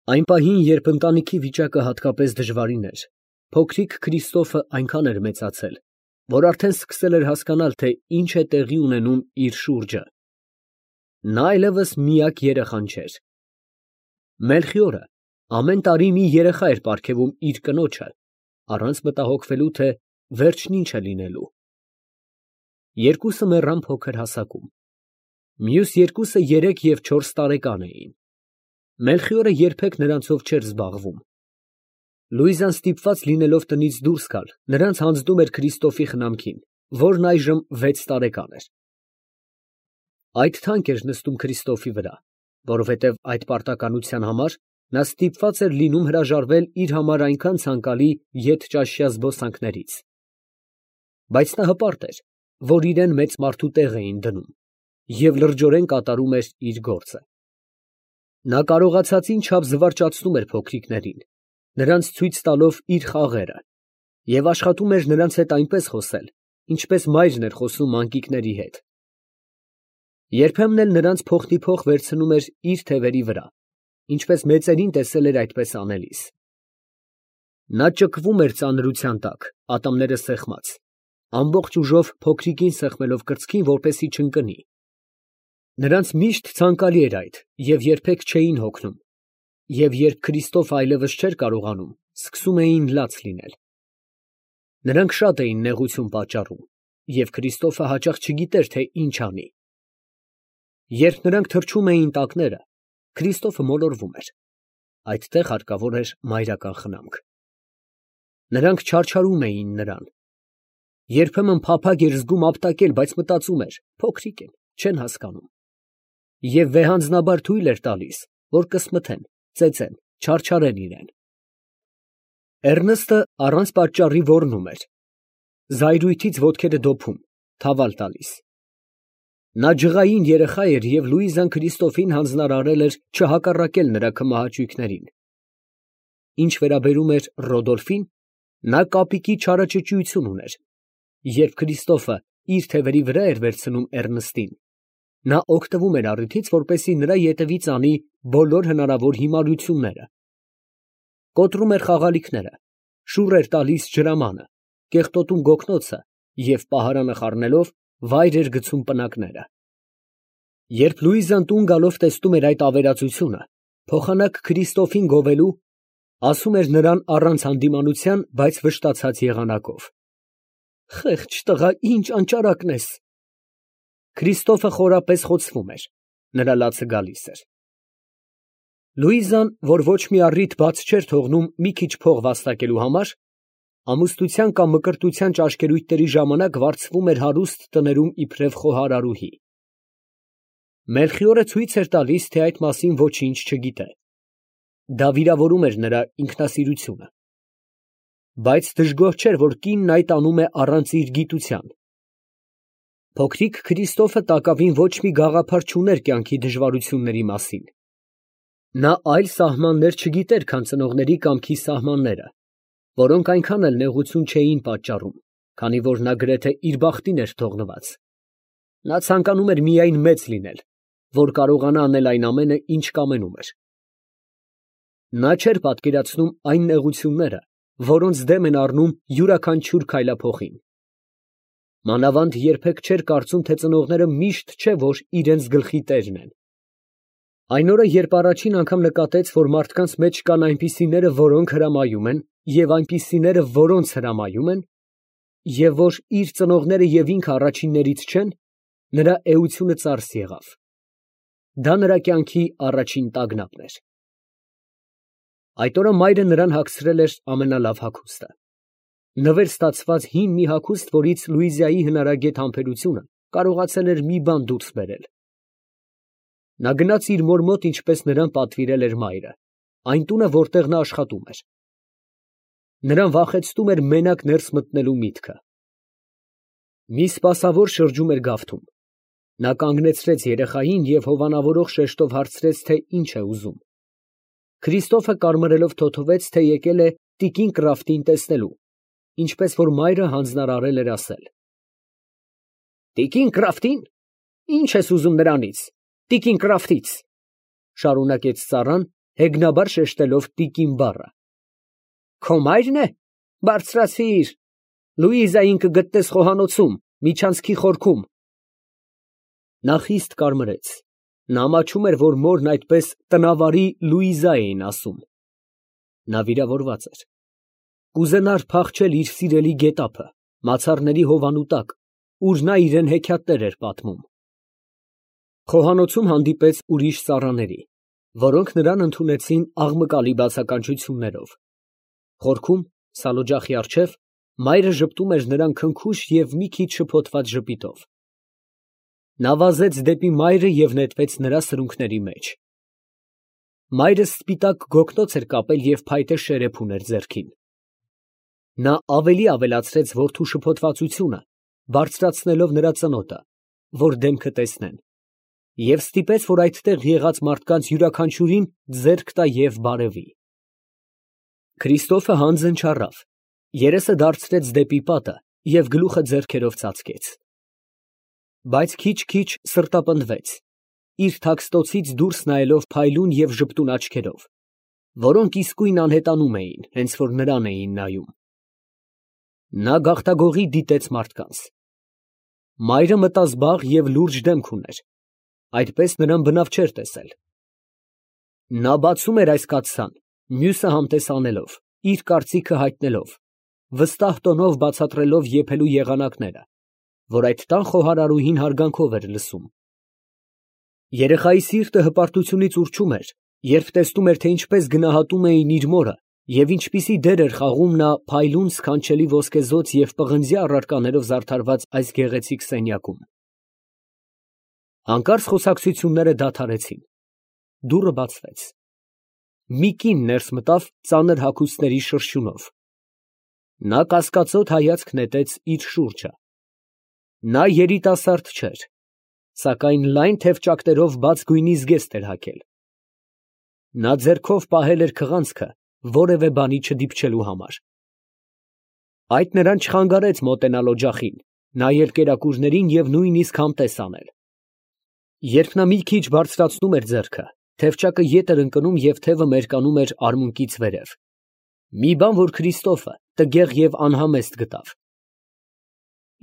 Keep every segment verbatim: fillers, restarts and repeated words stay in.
Այն պահին, երբ ընտանիքի վիճակը հատկապես դժվարին էր, փոքրիկ Քրիստոֆը այնքան էր մեծացել, որ արդեն սկսել էր հասկանալ, թե ինչ է տեղի ունենում իր շուրջը. նա այլևս միակ երեխան չէր։ Մելխիորը ամեն տարի մի երեխա էր պարգևում իր կնոջը, առանց մտահոգվելու, թե վերջն ինչ է լինելու։ Երկուսը մեռան փոքր հասակում, մյուս երկուսը երեք և չորս տարեկան էին։ Մելխիորը երբեք նրանցով չէր զբաղվում։ Լուիզան ստիպված լինելով տնից դուրս գալ, նրանց հանձնում էր Քրիստոֆի խնամքին, որն այժմ վեց տարեկան էր։ Այդ թանկ էր նստում Քրիստոֆի վրա, որովհետև այդ պարտականության համար նա ստիպված էր լինում հրաժարվել իր համար այնքան ցանկալի ետճաշյա զբոսանքներից։ Բայց նա հպարտ էր, որ իրան մեծ մարդու տեղ էին դնում, և լրջորեն կատարում էր իր գործը։ Նա կարողացածին չափ զվարճացնում էր փոքրիկներին, նրանց ցույց տալով իր խաղերը, և աշխատում էր նրանց հետ այնպես խոսել, ինչպես մայրն էր խոսում մանկիկների հետ։ Երբեմն էլ նրանց փոխնիփոխ վերցնում էր իր թևերի վրա, ինչպես մեծերին տեսել էր այդպես անելիս։ Նա ճկվում էր ծանրության տակ, ատամները սեղմած, ամբողջ ուժով փոքրիկին սեղմելով կրծքին, որպեսզի չընկնի։ Նրանց միշտ ցանկալի էր այդ և երբեք չէին հոգնում, և երբ Քրիստոֆը այլևս չէր կարողանում, սկսում էին լաց լինել։ Նրանք շատ էին նեղություն պատճառում, և Քրիստոֆը հաճախ չգիտեր, թե ինչ անի։ Երբ նրանք թրջում էին տակները, Քրիստոֆը մոլորվում էր, այդտեղ հարկավոր էր մայրական խնամք։ Նրանք չարչարում էին նրան։ Երբեմն փափագ էր զգում ապտակել, բայց մտածում էր. փոքրիկ են, չեն հասկանում։ Եվ վեհանձնաբար թույլ էր տալիս, որ կսմթեն, ծեծեն, չարչարեն իրան։ Էռնստը առանց պատճառի ոռնում էր, զայրույթից ոտքերը դոփում, թավալ տալիս։ Նա ջղային երեխա էր, և Լուիզան Քրիստոֆին հանձնարարել էր չհակառակել նրա քմահաճույքներին։ Ինչ վերաբերում էր Ռոդոլֆին, նա կապիկի չարաճճիություն ուներ։ Երբ Քրիստոֆը իր թևերի վրա էր վերցնում Էռնստին, նա օգտվում էր առիթից, որպեսզի նրա ետևից անի բոլոր հնարավոր հիմարությունները։ Կոտրում էր խաղալիքները, շուռ էր տալիս ջրամանը, կեղտոտում գոգնոցը և պահարանը խառնելով վայր էր գցում պնակները։ Երբ Լուիզան տուն գալով տեսնում էր այդ ավերածությունը, փոխանակ Քրիստոֆին գովելու, ասում էր նրան առանց հանդիմանության, բայց վշտացած եղանակով. «Խեղճ տղա, ինչ անճարակն ես»։ Քրիստոֆը խորապես խոցվում էր, նրա լացը գալիս էր։ Լուիզան, որ ոչ մի առիթ բաց չէր թողնում մի քիչ փող վաստակելու համար, ամուսնության կամ մկրտության ճաշկերույթների ժամանակ վարձվում էր հարուստ տներում իբրև խոհարարուհի։ Մելխիորը ցույց էր տալիս, թե այդ մասին ոչինչ չգիտե։ Դա վիրավորում էր նրա ինքնասիրությունը։ Բայց դժգոհ չէր, որ կինն այդ անում է առանց իր գիտության։ Փոքրիկ Քրիստոֆը տակավին ոչ մի գաղափար չուներ կյանքի դժվարությունների մասին։ Նա այլ սահմաններ չգիտեր, քան ծնողների կամքի սահմանները, որոնք այնքան էլ նեղություն չէին պատճառում, քանի որ նա գրեթե իր բախտին էր թողնված։ Նա ցանկանում էր միայն մեծ լինել, որ կարողանա անել այն ամենը, ինչ կամենում էր։ Նա չէր պատկերացնում այն նեղությունները, որոնց դեմ են առնում յուրաքանչյուր քայլափոխին։ Մանավանդ երբեք չէր կարծում, թե ծնողները միշտ չէ, որ իրենց գլխի տերն են։ Այն օրը, երբ առաջին անգամ նկատեց, որ մարդկանց մեջ կան այնպիսիները, որոնք հրամայում են, և այնպիսիները, որոնց հրամայում են, և որ իր ծնողները և ինքը առաջիններից չեն, նրա էությունը ծարս եղավ։ Դա նրա կյանքի առաջին տագնապն էր։ Այդ օրը մայրը նրան հագցրել էր ամենալավ հագուստը։ Նվեր ստացված հին մի հագուստ, որից Լուիզայի հնարագետ համբերությունը կարողացել էր մի բան դուրս բերել։ Նա գնաց իր մոր մոտ, ինչպես նրան պատվիրել էր մայրը, այն տունը, որտեղ նա աշխատում էր։ Նրան վախեցնում էր մենակ ներս մտնելու միտքը։ Մի սպասավոր շրջում էր գավթում։ Նա կանգնեցրեց երեխային և հովանավորող շեշտով հարցրեց, թե ինչ է ուզում։ Քրիստոֆը կարմրելով թոթվեց, թե եկել է տիկին Կրաֆտին տեսնելու, ինչպես որ մայրը հանձնարարել էր ասել։ Տիկին Կրաֆտին, ի՞նչ ես ուզում նրանից, տիկին Կրաֆտից, շարունակեց ծառան, հեգնաբար շեշտելով տիկին բառը։ Քո մայրն է, բարձրացիր, Լուիզային կգտնես խոհանոցում, միջանցքի խորքում։ Նա խիստ կարմրեց, նա ամաչում էր, որ մորն այդպես տնավարի Լուիզա էին ասում։ Նա վիրավորված էր, կուզենար փախչել իր սիրելի գետափը, մացառների հովանու տակ, ուր նա իրան հեքիաթներ էր պատմում։ Խոհանոցում հանդիպեց ուրիշ ծառաների, որոնք նրան ընդունեցին աղմկալի բացականչություններով։ Խորքում, սալօջախի առջև, մայրը ժպտում էր նրան քնքուշ և մի քիչ շփոթված ժպիտով։ Նա վազեց դեպի մայրը և նետվեց նրա սրունքների մեջ։ Մայրը սպիտակ գոգնոց էր կապել և փայտե շերեփ ուներ ձեռքին։ Նա ավելի ավելացրեց որդու շփոթվածությունը, բարձրացնելով նրա ծնոտը, որ դեմքը տեսնեն, և ստիպեց, որ այդտեղ եղած մարդկանց յուրաքանչյուրին ձեռք տա և բարևի։ Քրիստոֆը հանձն չառավ, երեսը դարձրեց դեպի պատը և գլուխը ձեռքերով ծածկեց։ Բայց քիչ֊քիչ սրտապնդվեց, իր թաքստոցից դուրս նայելով փայլուն և ժպտուն աչքերով, որոնք իսկույն անհետանում էին, հենց որ նրան էին նայում։ Նա գաղտագողի դիտեց մարդկանց։ Մայրը մտազբաղ և լուրջ դեմք ուներ, այդպես նրան բնավ չէր տեսել։ Նա բացում էր այս կաթսան, մյուսը համտես անելով, իր կարծիքը հայտնելով, վստահ տոնով բացատրելով եփելու եղանակները, որ այդ տան խոհարարուհին հարգանքով էր լսում։ Երեխայի սիրտը հպարտությունից ուռչում էր, երբ տեսնում էր, թե ինչպես գնահատում էին իր մորը և ինչպիսի դեր էր խաղում նա փայլուն սքանչելի ոսկեզօծ և պղնձյա առարկաներով զարդարված այս գեղեցիկ սենյակում։ Հանկարծ խոսակցությունները դադարեցին։ Դուռը բացվեց։ Մի կին ներս մտավ ծանր հագուստների շրշյունով։ Նա կասկածոտ հայացք նետեց իր շուրջը։ Նա երիտասարդ չէր, սակայն լայն թևճակներով բաց գույնի զգեստ էր հագել։ Նա ձեռքով պահել էր քղանցքը որևէ բանի չդիպչելու համար։ Այդ նրան չխանգարեց մոտենալ օջախին, նայել կերակուրներին և նույնիսկ համտես անել։ Երբ նա մի քիչ բարձրացնում էր ձեռքը, թևճակը ետ էր ընկնում և թևը մերկանում էր արմունկից վերև։ Մի բան, որ Քրիստոֆը տգեղ և անհամեստ գտավ։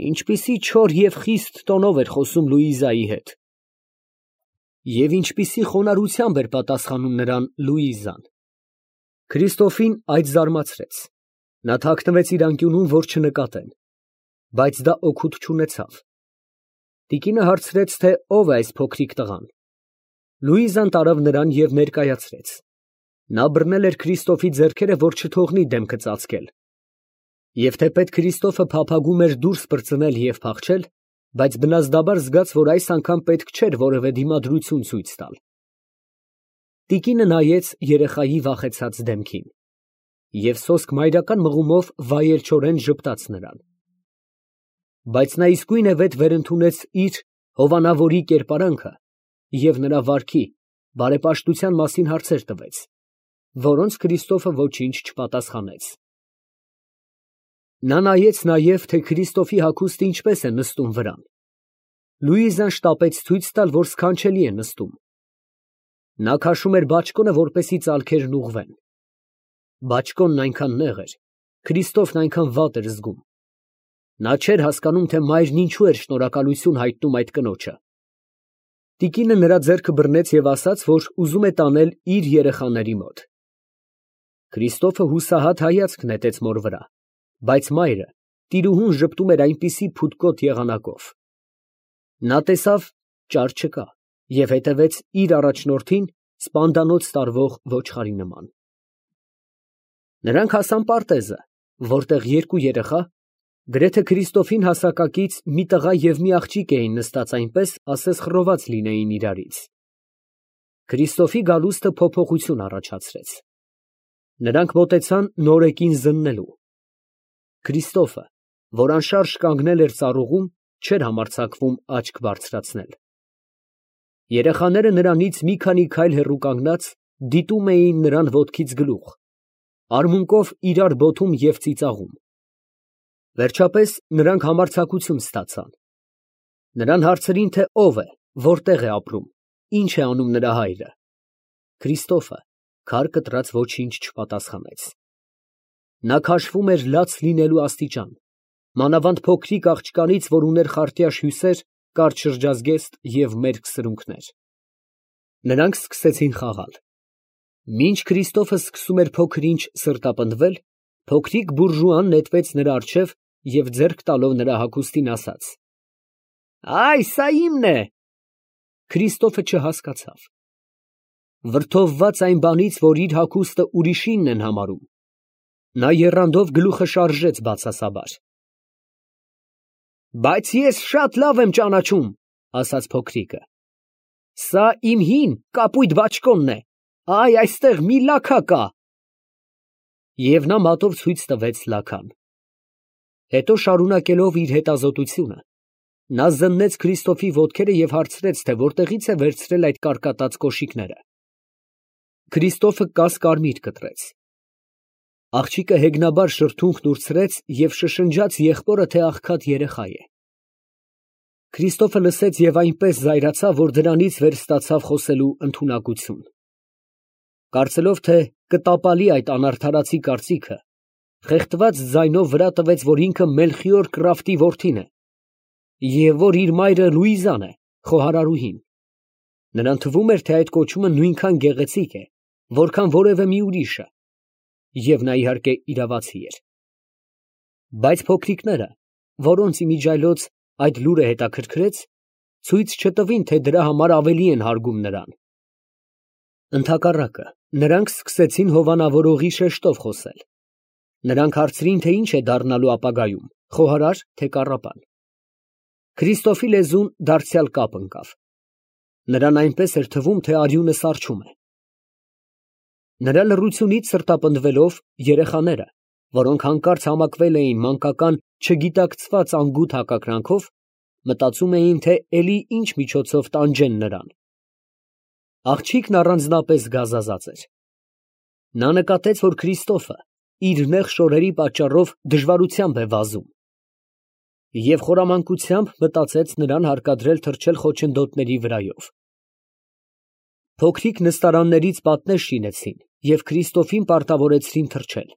Ինչպիսի չոր և խիստ տոնով էր խոսում Լուիզայի հետ։ Եվ ինչպիսի խոնարհությամբ էր պատասխանում նրան Լուիզան։ Քրիստոֆին այդ զարմացրեց։ Նա թաքնվեց իր անկյունում, որ չնկատեն։ Բայց դա օգուտ չունեցավ։ Տիկինը հարցրեց, թե ով է այս փոքրիկ տղան։ Լուիզան տարավ նրան և ներկայացրեց։ Նա բռնել էր Քրիստոֆի ձեռքերը, որ չթողնի դեմքը ծածկել։ Եվ թեպետ Քրիստոֆը փափագում էր դուրս պրծնել և փախչել, բայց բնազդաբար զգաց, որ այս անգամ պետք չէր որևէ դիմադրություն ցույց տալ։ Տիկինը նայեց երեխայի վախեցած դեմքին և սոսկ մայրական մղումով վայելչորեն ժպտաց նրան։ Բայց նա իսկույնևեթ վերընդունեց իր հովանավորի կերպարանքը և նրա վարքի, բարեպաշտության մասին հարցեր տվեց, որոնց Քրիստոֆը ոչինչ չպատասխանեց։ Նա նայեց նաև, թե Քրիստոֆի հագուստը ինչպես է նստում վրան։ Լուիզան շտապեց ցույց տալ, որ սքանչելի է նստում։ Նա քաշում էր բաճկոնը, որպեսզի ծալքերն ուղղվեն։ Բաճկոնն այնքան նեղ էր, Քրիստոֆն այնքան վատ էր զգում։ Նա չէր հասկանում, թե մայրն ինչու էր շնորհակալություն հայտնում այդ կնոջը։ Տիկինը նրա ձեռքը բռնեց և ասաց, որ ուզում է տանել իր երեխաների մոտ։ Քրիստոֆը հուսահատ հայացք նետեց մոր վրա, բայց մայրը տիրուհուն ժպտում էր այնպիսի փութկոտ եղանակով։ Նա տեսավ ճար չկա և հետևեց իր առաջնորդին սպանդանոց տարվող ոչխարի նման։ Նրանք հասան պարտեզը, որտեղ երկու երեխա, գրեթե Քրիստոֆին հասակակից, մի տղա և մի աղջիկ էին նստած այնպես, ասես խռոված լինեին իրարից։ Քրիստոֆի գալուստը փոփոխություն առաջացրեց։ Նրանք մոտեցան նորեկին զննելու։ Քրիստոֆը, որ անշարժ կանգնել էր ծառուղում, չէր համարձակվում աչք բարձրացնել։ Երեխաները նրանից մի քանի քայլ հեռու կանգնած, դիտում էին նրան ոտքից գլուխ, արմունկով իրար բոթում և ծիծաղում։ Վերջապես նրանք համարձակություն ստացան։ Նրան հարցրին, թե ով է, որտեղ է ապրում, ինչ է անում նրա հայրը։ Քրիստոֆը Քար կտրած ոչինչ չպատասխանեց։ Նա քաշվում էր լաց լինելու աստիճան, մանավանդ փոքրիկ աղջկանից, որ ուներ խարտյաշ հյուսեր, կարճ շրջազգեստ և մերկ սրունքներ։ Նրանք սկսեցին խաղալ։ Մինչ Քրիստոֆը սկսում էր փոքր-ինչ սրտապնդվել, փոքրիկ բուրժուան նետվեց նրա առջև և ձեռք տալով նրա հագուստին ասաց. «Այ, սա իմն է»։ Քրիստոֆը չհասկացավ։ Վրդովված այն բանից, որ իր հագուստը ուրիշինն են համարում, նա եռանդով գլուխը շարժեց բացասաբար։ «Բայց ես շատ լավ եմ ճանաչում», ասաց փոքրիկը։ «Սա իմ հին կապույտ բաճկոնն է, այ այստեղ մի լաքա կա»։ Եվ նա մատով ցույց տվեց լաքան։ Հետո, շարունակելով իր հետազոտությունը, նա զննեց Քրիստոֆի ոտքերը և հարցրեց, թե որտեղից է վերցրել այդ կարկատած կոշիկները։ Քրիստոֆը կաս֊կարմիր կտրեց։ Աղջիկը հեգնաբար շրթունքն ուրցրեց և շշնջաց եղբորը, թե աղքատ երեխա է։ Քրիստոֆը լսեց և այնպես զայրացավ, որ դրանից վեր ստացավ խոսելու ընդունակություն։ Կարծելով, թե կտապալի այդ անարդարացի կարծիքը, խեղդված ձայնով վրա տվեց, որ ինքը Մելխիոր Կրաֆտի որդին է, և որ իր մայրը Լուիզան է, խոհարարուհին։ Նրան թվում էր, թե այդ կոչումը նույնքան գեղեցիկ է, որքան որևէ մի ուրիշը, և նա, իհարկե, իրավացի էր։ Բայց փոքրիկները, որոնց իմիջիայլոց այդ լուրը հետաքրքրեց, ցույց չտվին, թե դրա համար ավելի են հարգում նրան։ Ընդհակառակը, նրանք սկսեցին հովանավորողի շեշտով խոսել։ Նրանք հարցրին, թե ինչ է դառնալու ապագայում, խոհարար, թե կառապան։ Քրիստոֆի լեզուն դարձյալ կապ ընկավ։ Նրան այնպես էր թվում, թե արյունը սառչում է։ Նրա լռությունից սրտապնդվելով, երեխաները, որոնք հանկարծ համակվել էին մանկական չգիտակցված անգութ հակակրանքով, մտածում էին, թե էլի ինչ միջոցով տանջեն նրան։ Աղջիկն առանձնապես գազազած էր։ Նա նկատեց, որ Քրիստոֆը իր նեղ շորերի պատճառով դժվարությամբ է վազում, և խորամանկությամբ մտածեց նրան հարկադրել թռչել խոչընդոտների վրայով։ Փոքրիկ նստարաններից պատնեշ շինեցին և Քրիստոֆին պարտավորեցրին թռչել։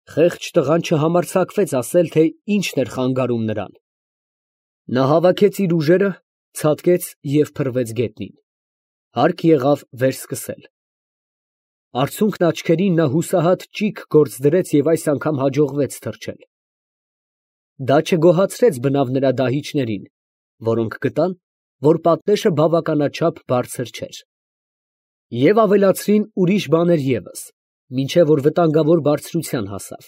Խեղճ տղան չհամարձակվեց ասել, թե ինչն էր խանգարում նրան։ Նա հավաքեց իր ուժերը, ցատկեց և փռվեց գետնին։ Հարկ եղավ վերսկսել։ Արցունքն աչքերին նա հուսահատ ճիգ գործ դրեց և այս անգամ հաջողվեց թռչել։ Դա չգոհացրեց բնավ նրա դահիճներին, որոնք գտան, որ պատնեշը բավականաչափ բարձր չէր, և ավելացրին ուրիշ բաներ ևս, մինչև որ վտանգավոր բարձրության հասավ։